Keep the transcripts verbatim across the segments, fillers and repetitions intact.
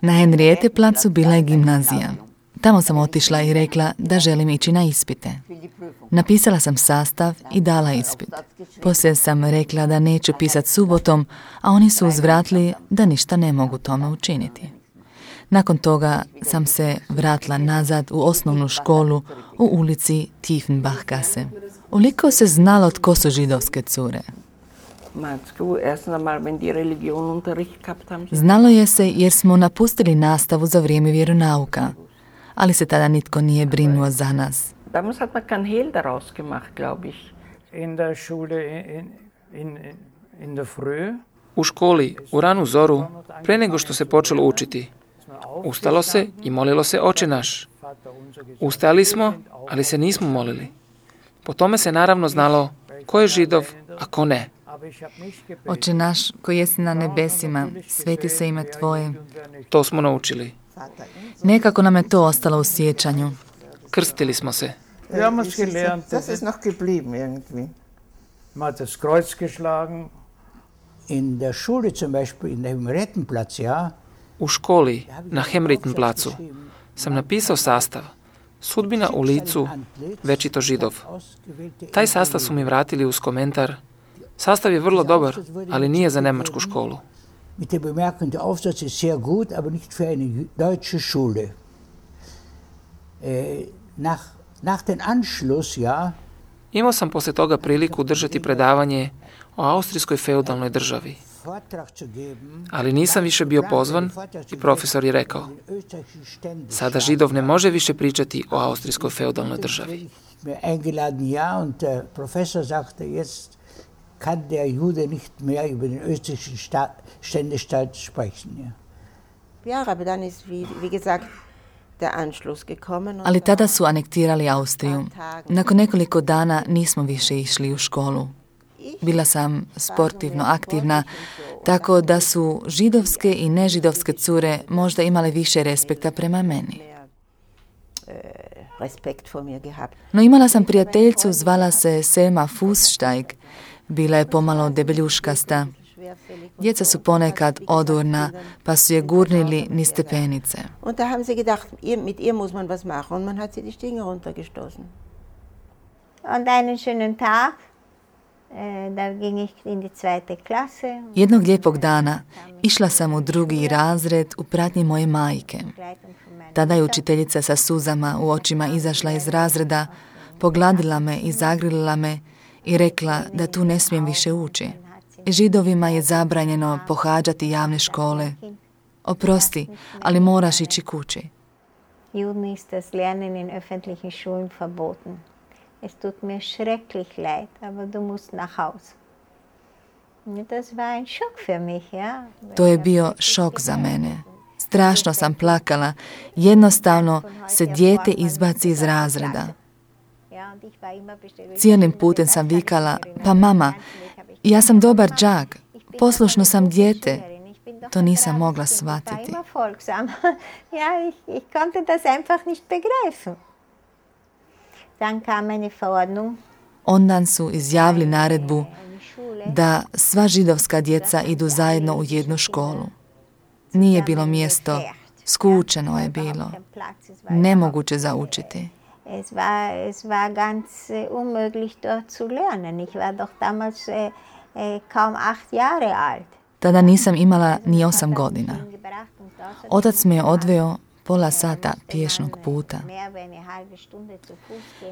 Na Henriete placu bila je gimnazija. Tamo sam otišla i rekla da želim ići na ispite. Napisala sam sastav i dala ispit. Poslije sam rekla da neću pisati subotom, a oni su uzvratili da ništa ne mogu tome učiniti. Nakon toga sam se vratila nazad u osnovnu školu u ulici Tiefenbachgasse. Uliko se znalo tko su židovske cure. Znalo je se jer smo napustili nastavu za vrijeme vjeronauka, ali se tada nitko nije brinuo za nas. Damals hat man kein Hehl daraus gemacht, glaube ich. In der Schule in, in, in der Früh. U školi, u ranu zoru, pre nego što se počelo učiti, ustalo se i molilo se Oče naš. Ustajali smo, ali se nismo molili. Po tome se naravno znalo ko je Židov, a ko ne. Oče naš koji jesi na nebesima, sveti se ime Tvoje. To smo naučili. Nekako nam je to ostalo u sjećanju. Krstili smo se. Wir haben uns gelernt. Das ist noch geblieben irgendwie. Man hat das Kreuz geschlagen. In der Schule zum Beispiel, in dem Rettenplatz, ja. U školi, na Hemritenplacu, sam napisao sastav. Sudbina u licu, večito Židov. Taj sastav su mi vratili uz komentar. Sastav je vrlo dobar, ali nije za nemačku školu. Mit der Bemerkung, der Aufsatz ist sehr gut, aber nicht für eine deutsche Schule. Äh, nach, nach den Anschluss, ja. Imao sam poslije toga priliku držati predavanje o austrijskoj feudalnoj državi. Ali nisam više bio pozvan i profesor je rekao: sada Židov ne može više pričati o austrijskoj feudalnoj državi. Eingeladen, ja, und der Professor sagte, jetzt kann der Jude nicht mehr über den österreichischen Ständestaat sprechen. Ja, ja, aber dann ist, wie, wie gesagt, der Anschluss gekommen. Ali tada su anektirali Austriju. Nakon nekoliko dana nismo više išli u školu. Bila sam sportivno aktivna, tako da su židovske i nežidovske cure možda imale više respekta prema meni. No imala sam prijateljicu, zvala se Selma Fußsteig. Bila je pomalo debeljuškasta. Djeca su ponekad odurna, pa su je gurnili niz stepenice. Und da haben sie gedacht, mit ihr muss man was machen, und man hat sie die Stiege runtergestoßen. Und einen schönen Tag, da ging ich in die zweite Klasse. Jednog lijepog dana išla sam u drugi razred u pratnji moje majke. Tada je učiteljica sa suzama u očima izašla iz razreda, pogladila me i zagrilila me i rekla da tu ne smijem više ući. Židovima je zabranjeno pohađati javne škole. Oprosti, ali moraš ići kući. Juden ist das Lernen in öffentlichen Schulen verboten. Es tut mir schrecklich leid, aber du musst nach Hause. Das war ein Schock für mich, ja. To je bio šok za mene. Strašno sam plakala. Jednostavno se dijete izbaci iz razreda. Cijelim putem sam vikala: pa mama, ja sam dobar đak, poslušno sam dijete. To nisam mogla shvatiti. Ja, ich, ich konnte das einfach nicht begreifen. Dann kam eine Verordnung. Ondan su izjavili naredbu da sva židovska djeca idu zajedno u jednu školu. Nije bilo mjesto, skučeno je bilo, nemoguće za učiti. Es war, es war ganz unmöglich dort zu lernen. Ich war doch damals äh, äh, kaum acht Jahre alt. Tada nisam imala ni osam godina. Otac me je odveo pola sata pješnog puta.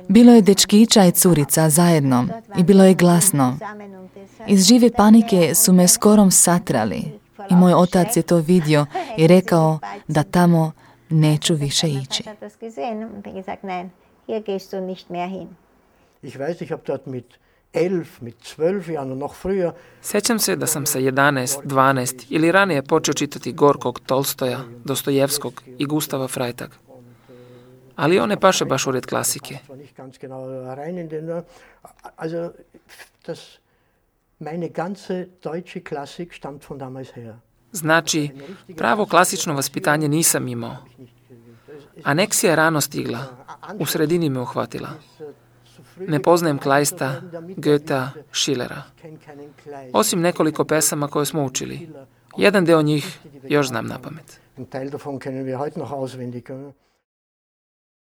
Bilo je dečkića i curica zajedno i bilo je glasno. Iz žive panike su me skorom satrali i moj otac je to vidio i rekao da tamo neću više ići. Ich weiß, ich habe dort mit elf, mit zwölf Jahren, noch früher. Sjećam se da sam sa jedanaest, dvanaest ili ranije počeo čitati Gorkog, Tolstoja, Dostojevskog i Gustava Freitaga. Ali on ne paše baš u red klasike. Also, das, meine ganze deutsche Klassik stammt von damals her. Znači, pravo klasično vaspitanje nisam imao. Aneksija je rano stigla, u sredini me uhvatila. Ne poznajem Kleista, Goethea, Schillera. Osim nekoliko pesama koje smo učili. Jedan deo njih još znam na pamet. Ein Teil davon kennen wir heute noch auswendig.